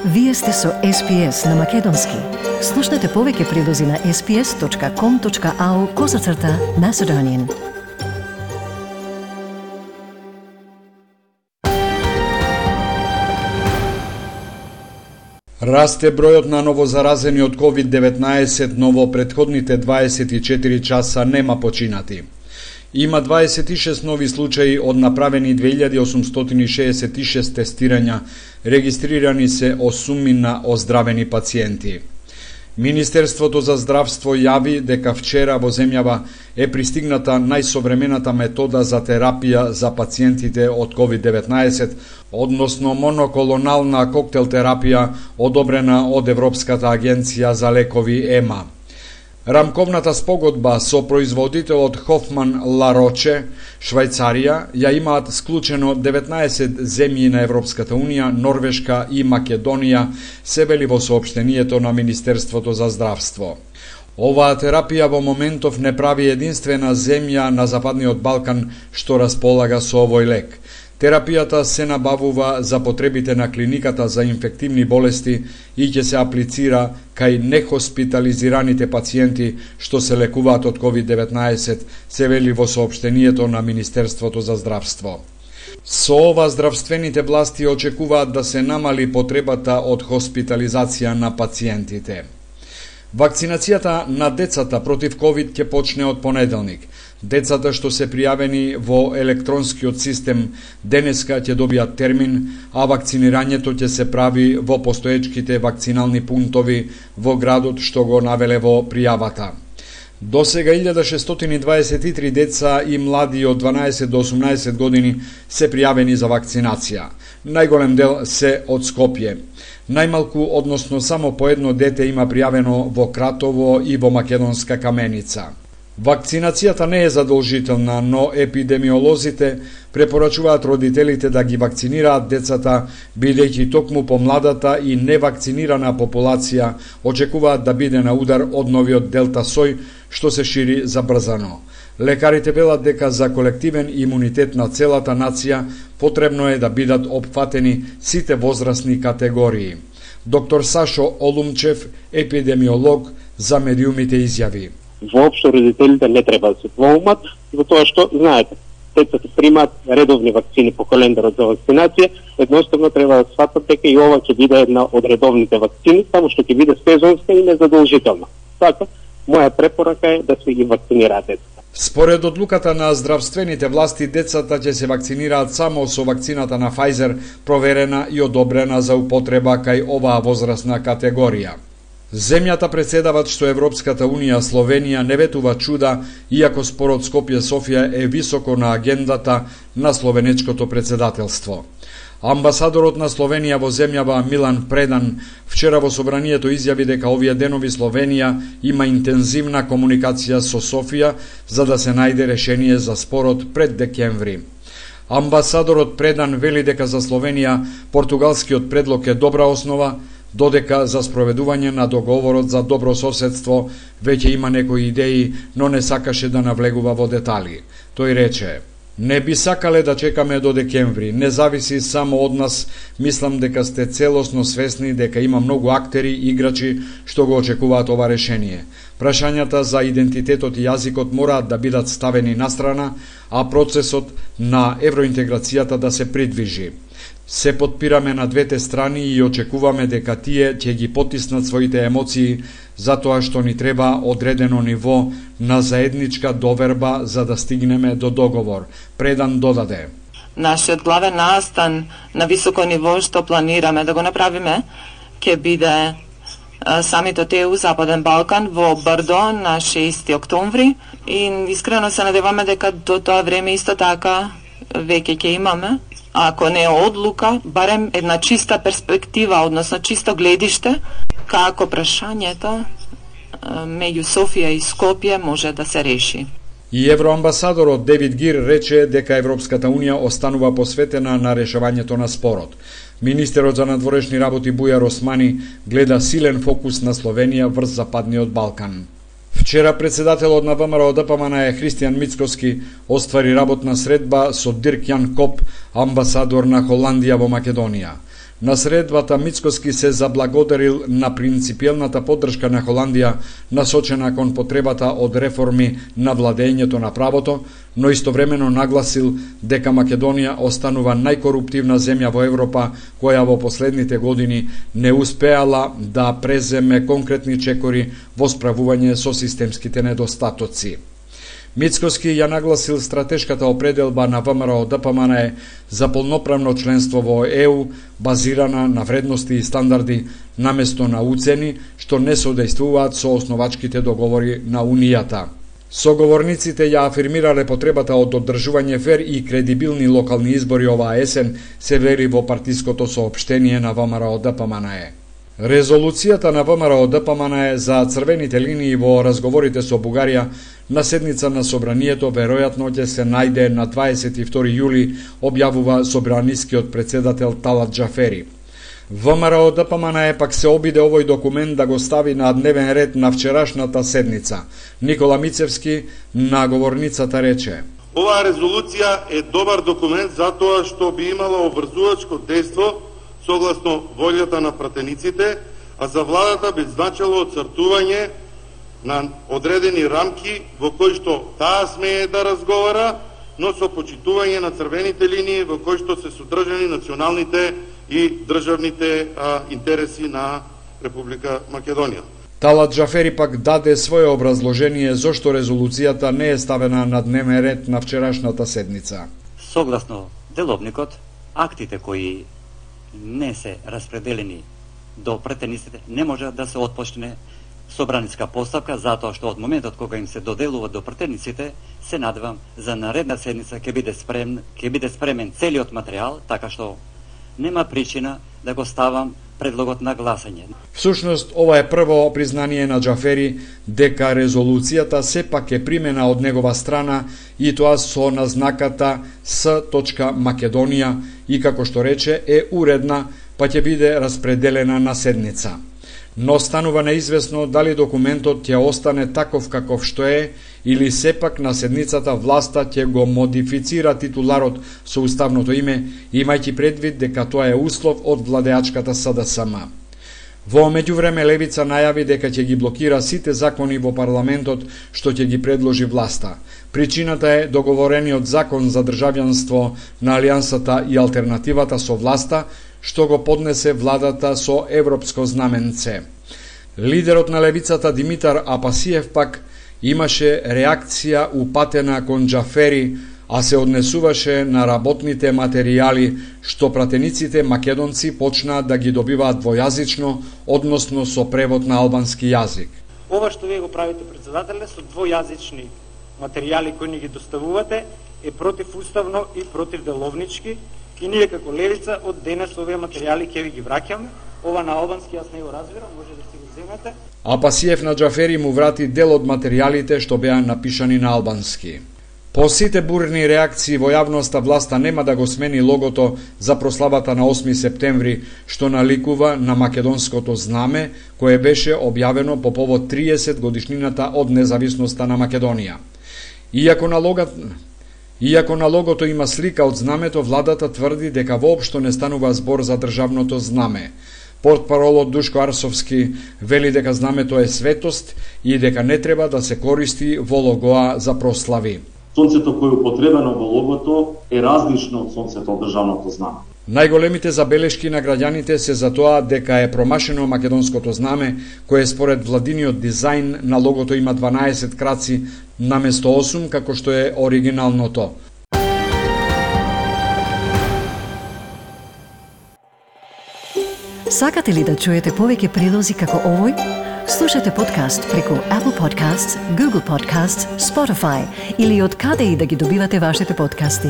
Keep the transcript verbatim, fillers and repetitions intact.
Вие сте со Ес Пи Ес на Македонски. Слушнете повеќе прилози на ес пи ес точка ком точка ау козацрта Macedonian. Расте бројот на новозаразени од ковид деветнаесет, но во претходните дваесет и четири часа нема починати. Има дваесет и шест нови случаи од направени две илјади осумстотини шеесет и шест тестирања, регистрирани се осумина оздравени пациенти. Министерството за здравство јави дека вчера во земјава е пристигната најсовремената метода за терапија за пациентите од ковид деветнаесет, односно моноклонална коктел терапија одобрена од Европската агенција за лекови ЕМА. Рамковната спогодба со производителот Хофман Ла Роче, Швајцарија, ја имаат склучено деветнаесет земји на Европската Унија, Норвешка и Македонија, се вели во соопштението на Министерството за здравство. Оваа терапија во моментов не прави единствена земја на Западниот Балкан што располага со овој лек. Терапијата се набавува за потребите на клиниката за инфективни болести и ќе се аплицира кај нехоспитализираните пациенти што се лекуваат од ковид деветнаесет, се вели во соопштението на Министерството за здравство. Со ова здравствените власти очекуваат да се намали потребата од хоспитализација на пациентите. Вакцинацијата на децата против ковид ќе почне од понеделник. Децата што се пријавени во електронскиот систем денеска ќе добијат термин, а вакцинирањето ќе се прави во постоечките вакцинални пунктови во градот што го навеле во пријавата. До сега илјада шестстотини дваесет и три деца и млади од дванаесет до осумнаесет години се пријавени за вакцинација. Најголем дел се од Скопје. Најмалку, односно само по едно дете има пријавено во Кратово и во Македонска Каменица. Вакцинацијата не е задолжителна, но епидемиолозите препорачуваат родителите да ги вакцинираат децата, бидејќи токму помладата и невакцинирана популација очекуваат да биде на удар од новиот делта сој, што се шири забрзано. Лекарите велат дека за колективен имунитет на целата нација потребно е да бидат опфатени сите возрастни категории. Доктор Сашо Олумчев, епидемиолог, за медиумите изјави: Воопшто родителите не треба да се двоумат, затоа што, знаете, децата примаат редовни вакцини по календарот за вакцинација, едноставно треба да сватат дека и ова ќе биде една од редовните вакцини, само што ќе биде сезонска и незадолжителна. Така, моја препорака е да се ги вакцинираат децата. Според одлуката на здравствените власти, децата ќе се вакцинираат само со вакцината на Pfizer, проверена и одобрена за употреба кај оваа возрастна категорија. Земјата претседават што Европската Унија Словенија не ветува чуда, иако спорот Скопје-Софија е високо на агендата на словенечкото претседателство. Амбасадорот на Словенија во земјава Милан Предан вчера во собранието изјави дека овие денови Словенија има интензивна комуникација со Софија за да се најде решение за спорот пред декември. Амбасадорот Предан вели дека за Словенија португалскиот предлог е добра основа, додека за спроведување на договорот за добро соседство веќе има некои идеи, но не сакаше да навлегува во детали. Тој рече: "Не би сакале да чекаме до декември, не зависи само од нас, мислам дека сте целосно свесни дека има многу актери и играчи што го очекуваат ова решение. Прашањата за идентитетот и јазикот мораат да бидат ставени настрана, а процесот на евроинтеграцијата да се придвижи. Се потпираме на двете страни и очекуваме дека тие ќе ги потиснат своите емоции, затоа што ни треба одредено ниво на заедничка доверба за да стигнеме до договор." Предан додаде: "Нашиот главен настан на високо ниво што планираме да го направиме ќе биде самитот Е У Западен Балкан во Брдо на шести октомври и искрено се надеваме дека до тоа време исто така веќе ќе имаме, ако не е одлука, барем една чиста перспектива, односно чисто гледиште, како прашањето меѓу Софија и Скопје може да се реши. И евроамбасадорот Девид Гир рече дека Европската Унија останува посветена на решавањето на спорот. Министерот за надворешни работи Бујар Османи гледа силен фокус на Словенија врз Западниот Балкан. Вчера председателот на ВМРО Д П М Н е Христијан Мицкоски оствари работна средба со Дирк Јан Коп, амбасадор на Холандија во Македонија. На средбата Мицкоски се заблагодарил на принципиелната поддршка на Холандија насочена кон потребата од реформи на владењето на правото, но истовремено нагласил дека Македонија останува најкоруптивна земја во Европа која во последните години не успеала да преземе конкретни чекори во справување со системските недостатоци. Мицкоски ја нагласил стратешката определба на ВМРО Д П М Н Е за полноправно членство во Е У, базирана на вредности и стандарди, наместо на уцени, што не соодействуваат со основачките договори на Унијата. Соговорниците ја афирмирале потребата од одржување фер и кредибилни локални избори оваа есен, се вери во партиското соопштение на ВМРО Д П М Н Е. Резолуцијата на ВМРО Д П М Н Е за црвените линии во разговорите со Бугарија на седница на Собранието веројатно ќе се најде на дваесет и втори јули, објавува собранискиот председател Талат Џафери. ВМРО Д П М Н Е пак се обиде овој документ да го стави на дневен ред на вчерашната седница. Никола Мицевски на говорницата рече: Оваа резолуција е добар документ затоа што би имала обврзувачко дејство согласно волјата на пратениците, а за владата би значило оцртување на одредени рамки во кои што таа смее да разговара, но со почитување на црвените линии во кои што се содржани националните и државните а, интереси на Република Македонија. Талат Џафери пак даде свое образложение зошто резолуцијата не е ставена на дневен ред на вчерашната седница. Согласно деловникот, актите кои не се распределени до претениците не може да се отпочне собраниска постапка, затоа што од моментот кога им се доделува до претениците, се надевам за наредна седница ќе биде спремен, ќе биде спремен целиот материјал, така што нема причина да го ставам предлогот на гласање. Всушност, ова е прво признание на Џафери дека резолуцијата сепак е примена од негова страна и тоа со назнаката С. Македонија и, како што рече, е уредна, па ќе биде распределена на седница. Но станува неизвестно дали документот ќе остане таков каков што е или сепак на седницата власта ќе го модифицира титуларот со уставното име, имајќи предвид дека тоа е услов од владеачката С Д С М. Во меѓувреме левица најави дека ќе ги блокира сите закони во парламентот што ќе ги предложи власта. Причината е договорениот закон за државјанство на Алијансата и алтернативата со власта, што го поднесе владата со европско знаменце. Лидерот на левицата Димитар Апасиев пак имаше реакција упатена кон Џафери, а се однесуваше на работните материјали што пратениците македонци почнаа да ги добиваат двојазично, односно со превод на албански јазик. Ова што вие го правите, председателе, со двојазични материјали кои ни ги доставувате е противуставно и противделовнички. И ние како левица од денес овие материјали ќе ви ги враќаме. Ова на албански јас не го разбирам, може да си го земете. Апасиев на Џафери му врати дел од материјалите што беа напишани на албански. По сите бурни реакции во јавноста, власта нема да го смени логото за прославата на осми септември, што наликува на македонското знаме, кое беше објавено по повод триесет годишнината од независноста на Македонија. Иако на логот Иако на логото има слика од знамето, владата тврди дека воопшто не станува збор за државното знаме. Портпаролот Душко Арсовски вели дека знамето е светост и дека не треба да се користи во логоа за прослави. Сонцето кое е употребено во логото е различно од сонцето од државното знаме. Најголемите забелешки на граѓаните се за тоа дека е промашено македонското знаме, кое според владиниот дизајн на логото има дванаесет краци наместо осум, како што е оригиналното. Сакате ли да чуете повеќе прилози како овој? Слушате подкаст преку Apple Podcasts, Google Podcasts, Spotify или од каде и да ги добивате вашите подкасти.